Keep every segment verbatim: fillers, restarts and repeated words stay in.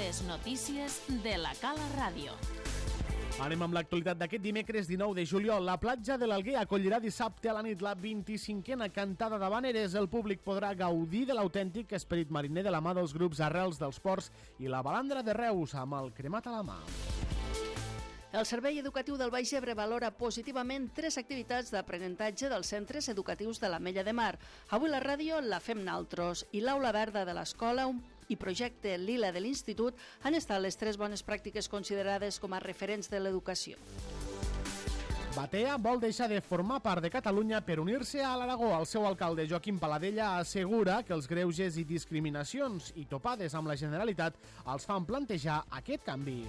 Les notícies de la Cala Ràdio. Anem amb l'actualitat d'aquest dimecres dinou de juliol. La platja de l'Alguer acollirà dissabte a la nit la vint-i-cinquena cantada d'Havaneres. El públic podrà gaudir de l'autèntic esperit mariner de la mà dels grups Arrels dels Ports i la Balandra de Reus amb el cremat a la mà. El Servei Educatiu del Baix Ebre valora positivament tres activitats d'aprenentatge dels centres educatius de l'Ametlla de Mar. Avui la ràdio la fem naltros i l'Aula Verda de l'Escola i Projecte Lila de l'Institut han estat les tres bones pràctiques considerades com a referents de l'educació. Batea vol deixar de formar part de Catalunya per unir-se a l'Aragó. El seu alcalde, Joaquim Paladella, assegura que els greuges i discriminacions i topades amb la Generalitat els fan plantejar aquest canvi.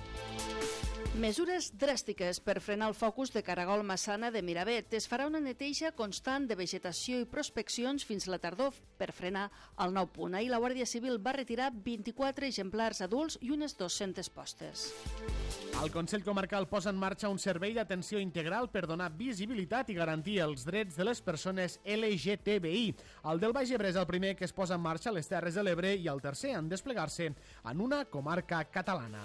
Mesures dràstiques per frenar el focus de Caragol Massana de Miravet. Es farà una neteja constant de vegetació i prospeccions fins la tardor per frenar el nou punt. Ahir la Guàrdia Civil va retirar vint-i-quatre exemplars adults i unes dues-centes postes. El Consell Comarcal posa en marxa un servei d'atenció integral per donar visibilitat i garantir els drets de les persones L G T B I. El del Baix Ebre és el primer que es posa en marxa a les Terres de l'Ebre i el tercer en desplegar-se en una comarca catalana.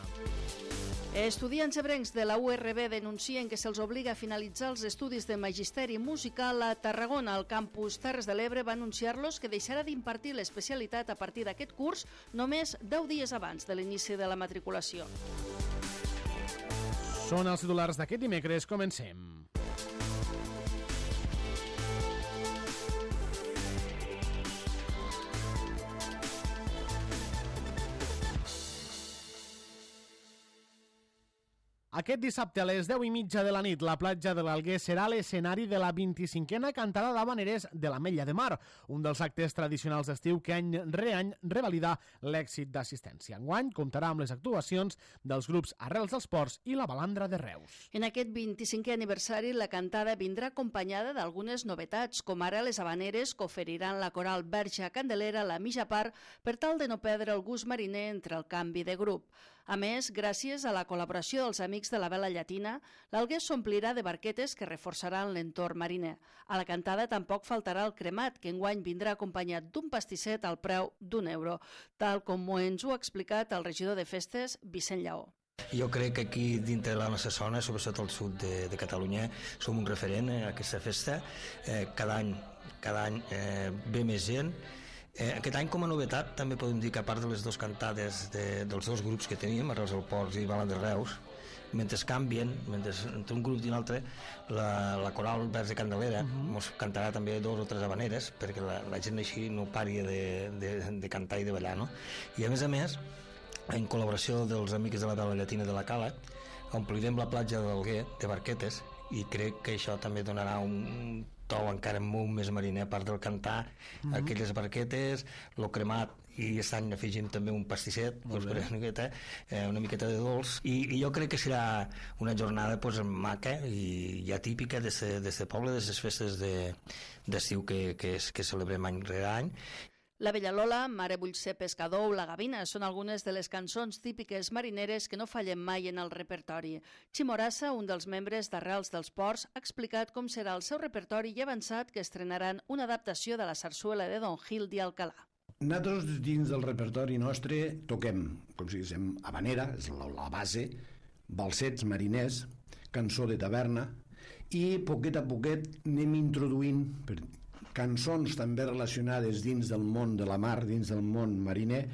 Estudiants ebrencs de la U R B denuncien que se'ls obliga a finalitzar els estudis de magisteri musical a Tarragona. El campus Terres de l'Ebre va anunciar-los que deixarà d'impartir l'especialitat a partir d'aquest curs només deu dies abans de l'inici de la matriculació. Són els titulars d'aquest dimecres. Comencem. Aquest dissabte a les deu i mitja de la nit, la platja de l'Alguer serà l'escenari de la vint-i-cinquena cantada d'Havaneres de l'Ametlla de Mar, un dels actes tradicionals d'estiu que any re any revalida l'èxit d'assistència. Enguany comptarà amb les actuacions dels grups Arrels dels Ports i la Balandra de Reus. En aquest vint-i-cinquè aniversari, la cantada vindrà acompanyada d'algunes novetats, com ara les havaneres que oferiran la coral Verge Candelera a la mitja part per tal de no perdre el gust mariner entre el canvi de grup. A més, gràcies a la col·laboració dels amics de la vela llatina, l'Alguer s'omplirà de barquetes que reforçaran l'entorn mariner. A la cantada tampoc faltarà el cremat, que enguany vindrà acompanyat d'un pastisset al preu d'un euro, tal com ens ho ha explicat el regidor de festes, Vicent Lleó. Jo crec que aquí dintre de la nostra zona, sobretot al sud de, de Catalunya, som un referent a aquesta festa. Eh, cada any, cada any eh, ve més gent. Eh, aquest any, com a novetat, també podem dir que a part de les dues cantades de, dels dos grups que teníem, Arrels dels Ports i Balandra de Reus, mentre canvien, mentre entre un grup i un altre, la, la coral Verge Candelera uh-huh. ens cantarà també dos o tres havaneres perquè la, la gent així no pari de, de, de cantar i de ballar, no? I a més a més, en col·laboració dels amics de la vela llatina de la Cala, omplirem la platja de l'Alguer de barquetes i crec que això també donarà un to encara molt més mariner, a part del cantar mm-hmm. aquelles barquetes, lo cremat, i aquest any afegim també un pastisset doncs, una, miqueta, eh, una miqueta de dolç i, i jo crec que serà una jornada pues, maca i ja típica d'aquest poble, d'aquestes festes d'estiu de, que, que, que celebrem any rere any. La Bella Lola, Mare vull ser pescador o La Gavina són algunes de les cançons típiques marineres que no fallen mai en el repertori. Chimorassa, un dels membres d'Arrels dels Ports, ha explicat com serà el seu repertori i ha avançat que estrenaran una adaptació de la sarsuela de Don Gil i Alcalà. Nosaltres dins del repertori nostre toquem, com si diguéssim, habanera, és la, la base, balsets mariners, cançó de taverna i poquet a poquet anem introduint per cançons també relacionades dins del món de la mar, dins del món mariner,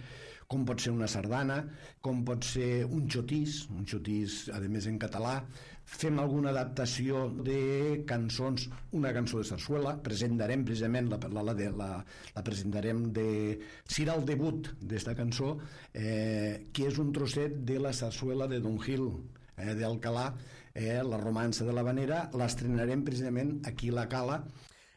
com pot ser una sardana, com pot ser un xotís, un xotís a més en català. Fem alguna adaptació de cançons, una cançó de sarsuela, presentarem precisament la, la, la, la, la presentarem de... serà el debut d'esta cançó, eh, que és un trosset de la sarsuela de Don Gil, eh, d'Alcalà, eh, la romança de l'Havanera, l'estrenarem precisament aquí a la Cala.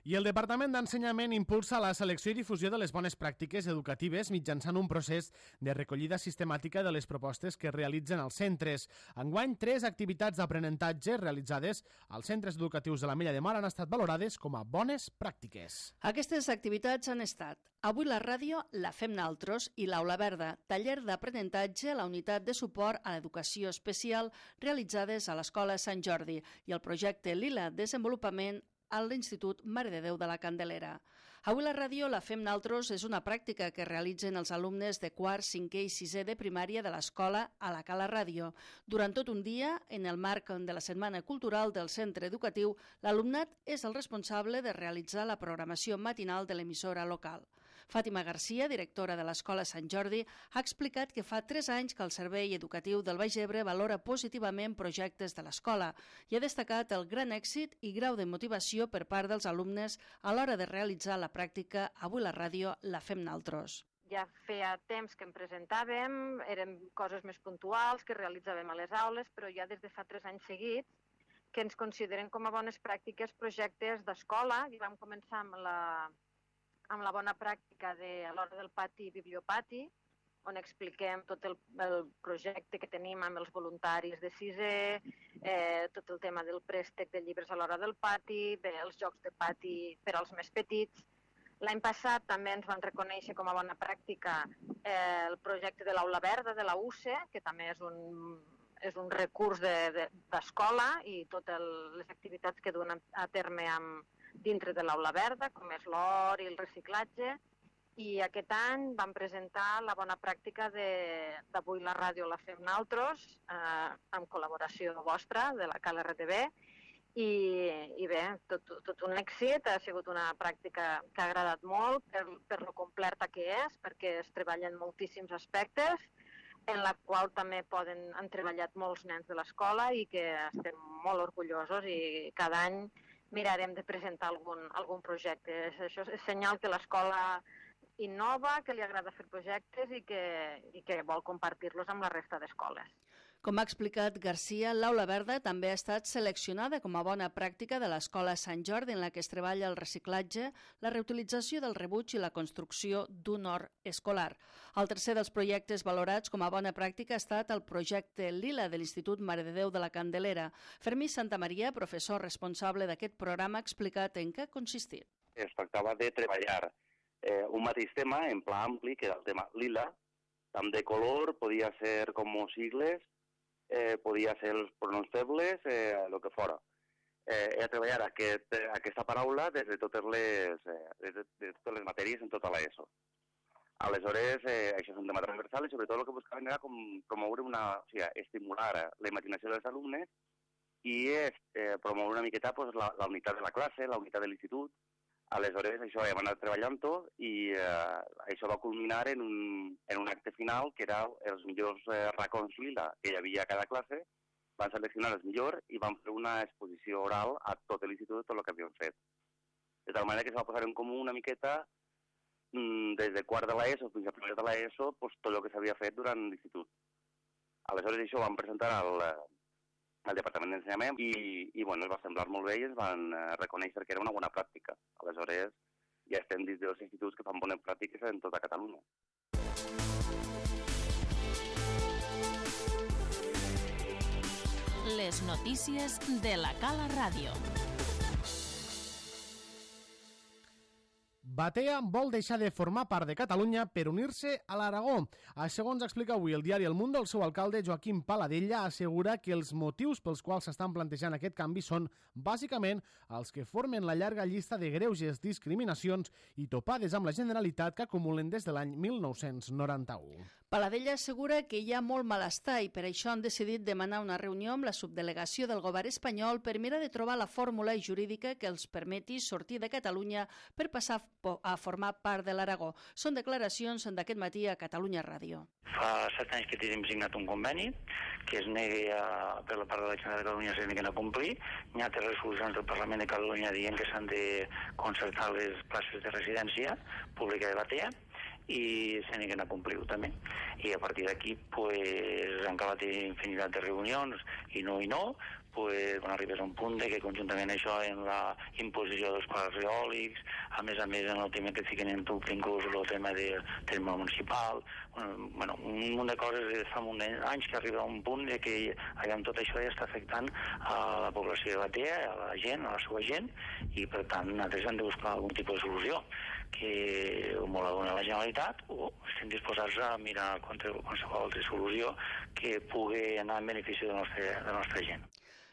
I el Departament d'Ensenyament impulsa la selecció i difusió de les bones pràctiques educatives mitjançant un procés de recollida sistemàtica de les propostes que realitzen els centres. Enguany, tres activitats d'aprenentatge realitzades als centres educatius de l'Ametlla de Mar han estat valorades com a bones pràctiques. Aquestes activitats han estat Avui la ràdio la fem naltros i l'Aula Verda, taller d'aprenentatge a la unitat de suport a l'educació especial realitzades a l'Escola Sant Jordi i el projecte Lila Desenvolupament a l'Institut Mare de Déu de la Candelera. Avui la ràdio la fem naltros és una pràctica que realitzen els alumnes de quart, cinquè i sisè de primària de l'escola a la Cala Ràdio. Durant tot un dia, en el marc de la Setmana Cultural del centre educatiu, l'alumnat és el responsable de realitzar la programació matinal de l'emissora local. Fàtima Garcia, directora de l'Escola Sant Jordi, ha explicat que fa tres anys que el Servei Educatiu del Baix Ebre valora positivament projectes de l'escola i ha destacat el gran èxit i grau de motivació per part dels alumnes a l'hora de realitzar la pràctica Avui la ràdio la fem naltros. Ja feia temps que em presentàvem, eren coses més puntuals que realitzàvem a les aules, però ja des de fa tres anys seguits que ens consideren com a bones pràctiques projectes d'escola i vam començar amb la amb la bona pràctica de, a l'hora del pati i bibliopati, on expliquem tot el, el projecte que tenim amb els voluntaris de sisè, eh, tot el tema del préstec de llibres a l'hora del pati, bé, els jocs de pati per als més petits. L'any passat també ens van reconèixer com a bona pràctica eh, el projecte de l'Aula Verda de la U C E, que també és un, és un recurs d'escola de, i totes les activitats que duen a terme amb dintre de l'Aula Verda, com és l'hort i el reciclatge, i aquest any vam presentar la bona pràctica d'Avui la ràdio la fem naltros, eh, amb col·laboració vostra, de la Cala R T V, i, i bé, tot, tot un èxit, ha sigut una pràctica que ha agradat molt per, per lo completa que és, perquè es treballen moltíssims aspectes, en la qual també poden, han treballat molts nens de l'escola i que estem molt orgullosos i cada any mirarem de presentar algun, algun projecte. Això és senyal que l'escola innova, que li agrada fer projectes i que, i que vol compartir-los amb la resta d'escoles. Com ha explicat Garcia, l'Aula Verda també ha estat seleccionada com a bona pràctica de l'Escola Sant Jordi, en la que es treballa el reciclatge, la reutilització del rebuig i la construcció d'un hort escolar. El tercer dels projectes valorats com a bona pràctica ha estat el projecte Lila de l'Institut Mare de Déu de la Candelera. Fermí Santamaria, professor responsable d'aquest programa, ha explicat en què ha consistit. Es tractava de treballar eh, un mateix tema en pla ampli, que era el tema lila, tant de color, podia ser com sigles, Eh, podia ser els pronoms febles, eh, el que fora. Eh, he de treballar aquest, aquesta paraula des de totes les, eh, des de, de totes les matèries en tota l'ESO. Aleshores, eh, això és un tema transversal i sobretot el que buscaven era com promoure una, o sigui, estimular la imaginació dels alumnes i eh, promoure una miqueta pues, la, la unitat de la classe, la unitat de l'institut. Aleshores, això hem anat treballant-ho i eh, això va culminar en un, en un acte final que era els millors eh, racons lila que hi havia a cada classe. Van seleccionar els millors i van fer una exposició oral a tot l'institut de tot el que havíem fet. De tal manera que es va posar en comú una miqueta mm, des de quart de l'ESO fins a primer de l'ESO pues, tot el que s'havia fet durant l'institut. Aleshores, això ho vam presentar al... al Departament d'Ensenyament i, i bueno, es va semblar molt bé i ens van eh, reconèixer que era una bona pràctica. Aleshores, ja estem dins dels instituts que fan bones pràctiques en tota Catalunya. Les notícies de la Cala Ràdio. Batea vol deixar de formar part de Catalunya per unir-se a l'Aragó. Segons explica avui el diari El Mundo, el seu alcalde, Joaquim Paladella, assegura que els motius pels quals s'estan plantejant aquest canvi són, bàsicament, els que formen la llarga llista de greuges, discriminacions i topades amb la Generalitat que acumulen des de l'any mil nou-cents noranta-u. Paladella assegura que hi ha molt malestar i per això han decidit demanar una reunió amb la subdelegació del govern espanyol per mirar de trobar la fórmula jurídica que els permeti sortir de Catalunya per passar a formar part de l'Aragó. Són declaracions d'aquest matí a Catalunya Ràdio. Fa set anys que tenim signat un conveni que es negui a, per la part de la Generalitat de Catalunya se neguen a complir. Hi ha tres resolucions del Parlament de Catalunya dient que s'han de concertar les places de residència pública de Batea i se neguen a complir-ho també. I a partir d'aquí pues, han acabat infinitat de reunions i no i no, pues, quan arribes a un punt de que conjuntament això en la imposició dels parcs eòlics, a més a més en el tema que fiquen en dubte inclús el tema del terme municipal, bueno, un munt de coses fa un anys que arriba a un punt de que allà amb tot això ja està afectant a la població de Batea, a la gent, a la seva gent, i per tant nosaltres hem de buscar algun tipus de solució que o molt la dona la Generalitat o estem disposats a mirar qualsevol altra solució que pugui anar en benefici de la nostra, de la nostra gent.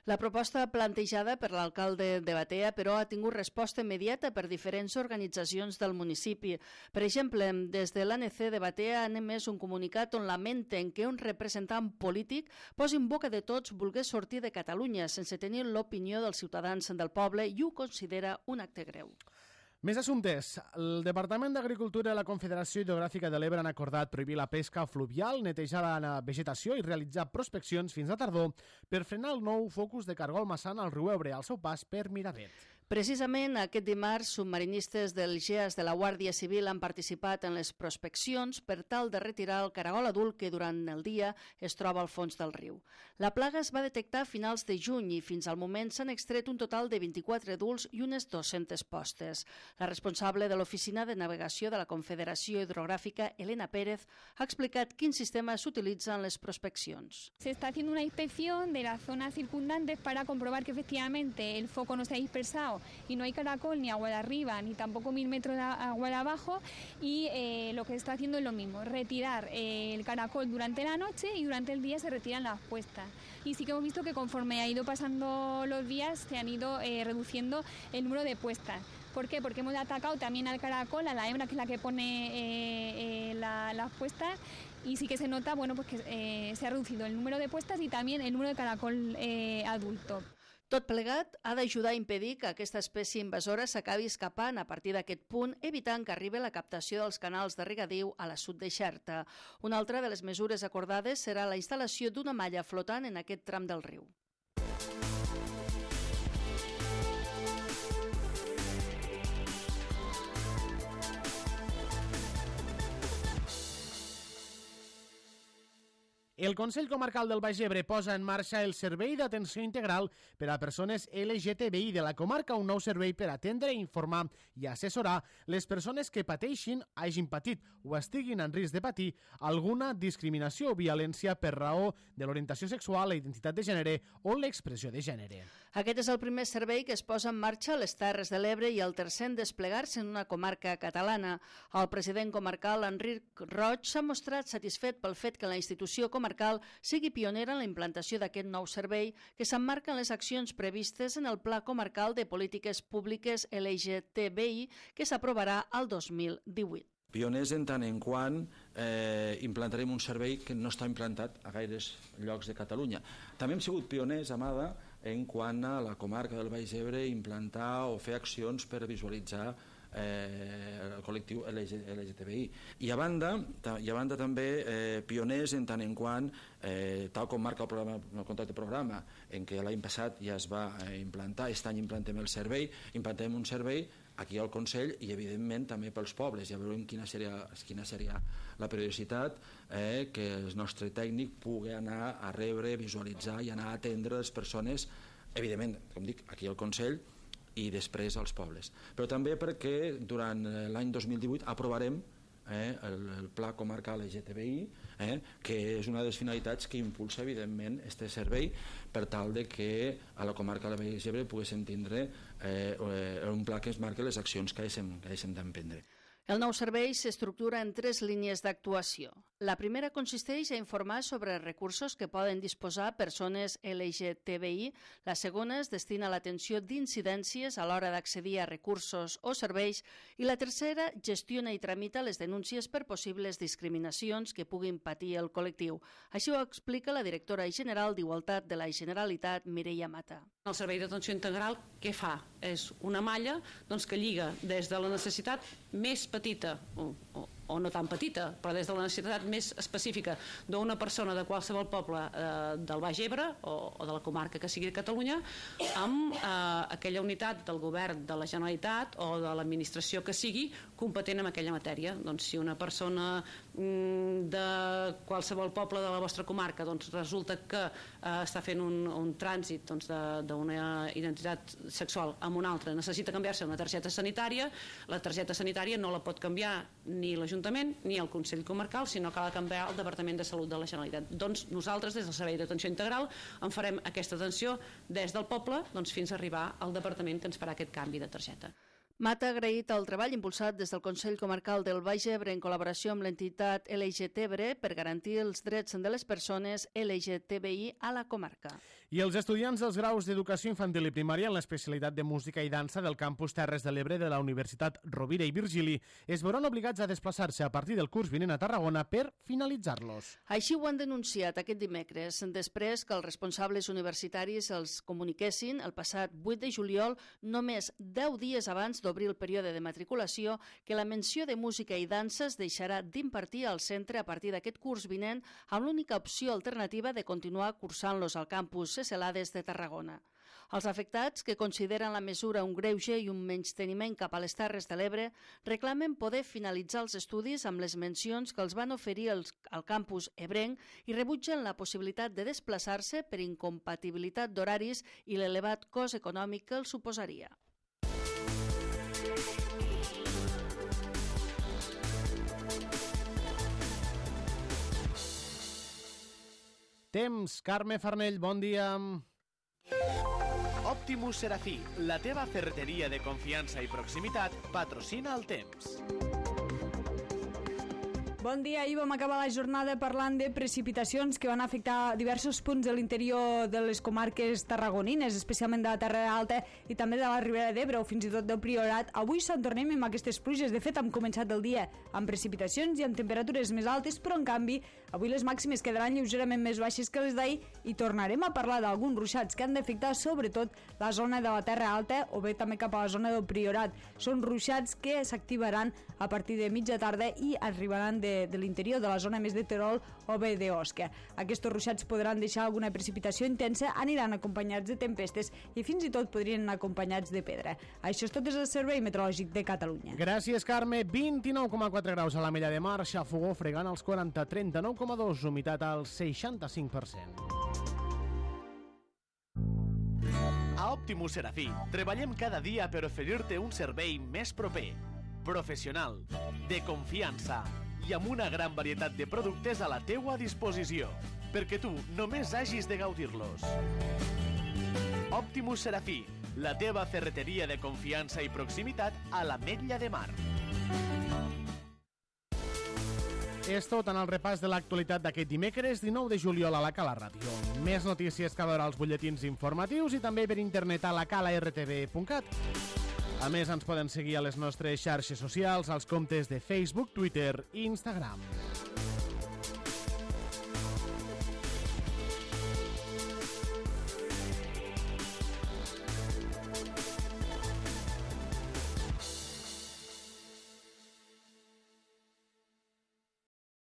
La proposta plantejada per l'alcalde de Batea, però, ha tingut resposta immediata per diferents organitzacions del municipi. Per exemple, des de l'A N C de Batea han emès un comunicat on lamenten que un representant polític posi en boca de tots volgués sortir de Catalunya sense tenir l'opinió dels ciutadans del poble i ho considera un acte greu. Més assumptes. El Departament d'Agricultura i la Confederació Hidrogràfica de l'Ebre han acordat prohibir la pesca fluvial, netejar la vegetació i realitzar prospeccions fins a tardor per frenar el nou focus de cargol massana al riu Ebre al seu pas per Miravet. Precisament aquest dimarts, submarinistes del G E A S de la Guàrdia Civil han participat en les prospeccions per tal de retirar el caragol adult que durant el dia es troba al fons del riu. La plaga es va detectar a finals de juny i fins al moment s'han extret un total de vint-i-quatre adults i unes dues-centes postes. La responsable de l'Oficina de Navegació de la Confederació Hidrogràfica, Elena Pérez, ha explicat quin sistema s'utilitza en les prospeccions. Se está haciendo una inspección de las zonas circundantes para comprobar que efectivamente el foco no se ha dispersado y no hay caracol ni agua de arriba ni tampoco mil metros de agua de abajo y eh, lo que se está haciendo es lo mismo, retirar eh, el caracol durante la noche y durante el día se retiran las puestas. Y sí que hemos visto que conforme ha ido pasando los días se han ido eh, reduciendo el número de puestas. ¿Por qué? Porque hemos atacado también al caracol, a la hembra que es la que pone eh, eh, la, las puestas y sí que se nota bueno, pues que eh, se ha reducido el número de puestas y también el número de caracol eh, adulto. Tot plegat ha d'ajudar a impedir que aquesta espècie invasora s'acabi escapant a partir d'aquest punt, evitant que arribi la captació dels canals de regadiu a la sud de Xerta. Una altra de les mesures acordades serà la instal·lació d'una malla flotant en aquest tram del riu. El Consell Comarcal del Baix Ebre posa en marxa el Servei d'Atenció Integral per a Persones L G T B I de la comarca, un nou servei per atendre, informar i assessorar les persones que pateixin, hagin patit o estiguin en risc de patir alguna discriminació o violència per raó de l'orientació sexual, la identitat de gènere o l'expressió de gènere. Aquest és el primer servei que es posa en marxa a les Terres de l'Ebre i el tercer en desplegar-se en una comarca catalana. El president comarcal, Enric Roig, s'ha mostrat satisfet pel fet que la institució comarcal sigui pionera en la implantació d'aquest nou servei que s'emmarca en les accions previstes en el Pla Comarcal de Polítiques Públiques L G T B I que s'aprovarà el dos mil divuit. Pioners en tant en quant eh, implantarem un servei que no està implantat a gaires llocs de Catalunya. També hem sigut pioners, Amada, en quant a la comarca del Baix Ebre implantar o fer accions per visualitzar eh, el col·lectiu L G T B I. I a banda, i a banda també eh, pioners en tant en quant, eh, tal com marca el, programa, el contracte de programa, en què l'any passat ja es va eh, implantar, aquest any implantem el servei, implantem un servei aquí al Consell i evidentment també pels pobles. Ja veurem quina seria, quina seria la periodicitat eh, que el nostre tècnic pugui anar a rebre, visualitzar i anar a atendre les persones, evidentment, com dic, aquí al Consell i després als pobles. Però també perquè durant l'any dos mil divuit aprovarem eh, el, el Pla Comarcal L G T B I, eh, que és una de les finalitats que impulsa evidentment este servei per tal de que a la comarca del Baix Ebre poguéssim tindre eh, un pla que es marqui les accions que haguéssim d'emprendre. El nou servei s'estructura en tres línies d'actuació. La primera consisteix a informar sobre recursos que poden disposar persones L G T B I. La segona es destina a l'atenció d'incidències a l'hora d'accedir a recursos o serveis. I la tercera gestiona i tramita les denúncies per possibles discriminacions que puguin patir el col·lectiu. Així ho explica la directora general d'Igualtat de la Generalitat, Mireia Mata. El servei d'atenció integral què fa? És una malla doncs, que lliga des de la necessitat més petita o, o, o no tan petita, però des de la necessitat més específica d'una persona de qualsevol poble eh, del Baix Ebre o, o de la comarca que sigui de Catalunya amb eh, aquella unitat del govern de la Generalitat o de l'administració que sigui competent en aquella matèria. Doncs si una persona mm, de qualsevol poble de la vostra comarca doncs, resulta que eh, està fent un, un trànsit doncs, d'una identitat sexual amb una altra, necessita canviar-se una targeta sanitària, la targeta sanitària no la pot canviar ni l'Ajuntament ni el Consell Comarcal, sinó que ha de canviar el Departament de Salut de la Generalitat. Doncs nosaltres, des del Servei d'Atenció Integral, en farem aquesta atenció des del poble doncs, fins a arribar al Departament que ens farà aquest canvi de targeta. Mata ha agraït el treball impulsat des del Consell Comarcal del Baix Ebre en col·laboració amb l'entitat L G T B I per garantir els drets de les persones L G T B I a la comarca. I els estudiants dels graus d'Educació Infantil i Primària en l'especialitat de Música i Dansa del campus Terres de l'Ebre de la Universitat Rovira i Virgili es veuran obligats a desplaçar-se a partir del curs vinent a Tarragona per finalitzar-los. Així ho han denunciat aquest dimecres, després que els responsables universitaris els comuniquessin el passat vuit de juliol, només deu dies abans d'obrir el període de matriculació, que la menció de Música i Dansa es deixarà d'impartir al centre a partir d'aquest curs vinent amb l'única opció alternativa de continuar cursant-los al campus Celades de Tarragona. Els afectats, que consideren la mesura un greuge i un menysteniment cap a les Terres de l'Ebre, reclamen poder finalitzar els estudis amb les mencions que els van oferir els, al campus ebrenc i rebutgen la possibilitat de desplaçar-se per incompatibilitat d'horaris i l'elevat cost econòmic que els suposaria. Temps, Carme Farnell, bon dia. Optimus Serafí, la teva ferreteria de confiança i proximitat, patrocina el temps. Bon dia. Ahir vam acabar la jornada parlant de precipitacions que van afectar diversos punts de l'interior de les comarques tarragonines, especialment de la Terra Alta i també de la Ribera d'Ebre o fins i tot del Priorat. Avui se'n tornem amb aquestes pluges. De fet, hem començat el dia amb precipitacions i amb temperatures més altes, però en canvi avui les màximes quedaran lleugerament més baixes que les d'ahir i tornarem a parlar d'alguns ruixats que han d'afectar sobretot la zona de la Terra Alta o bé també cap a la zona del Priorat. Són ruixats que s'activaran a partir de mitja tarda i arribaran de De, de l'interior de la zona més de Terol o bé d'Osca. Aquests ruixats podran deixar alguna precipitació intensa, aniran acompanyats de tempestes i fins i tot podrien anar acompanyats de pedra. Això és tot des del Servei Meteorològic de Catalunya. Gràcies, Carme. vint-i-nou coma quatre graus a l'Ametlla de Mar, xafogó fregant als quaranta, trenta-nou coma dos, humitat al seixanta-cinc per cent. A Optimus Serafí treballem cada dia per oferir-te un servei més proper, professional, de confiança i amb una gran varietat de productes a la teua disposició, perquè tu només hagis de gaudir-los. Optimus Serafí, la teva ferreteria de confiança i proximitat a l'Ametlla de Mar. És tot en el repàs de l'actualitat d'aquest dimecres dinou de juliol a la Cala Ràdio. Més notícies que veure als butlletins informatius i també per internet a la cala r t v punt cat. A més, ens poden seguir a les nostres xarxes socials, als comptes de Facebook, Twitter i Instagram.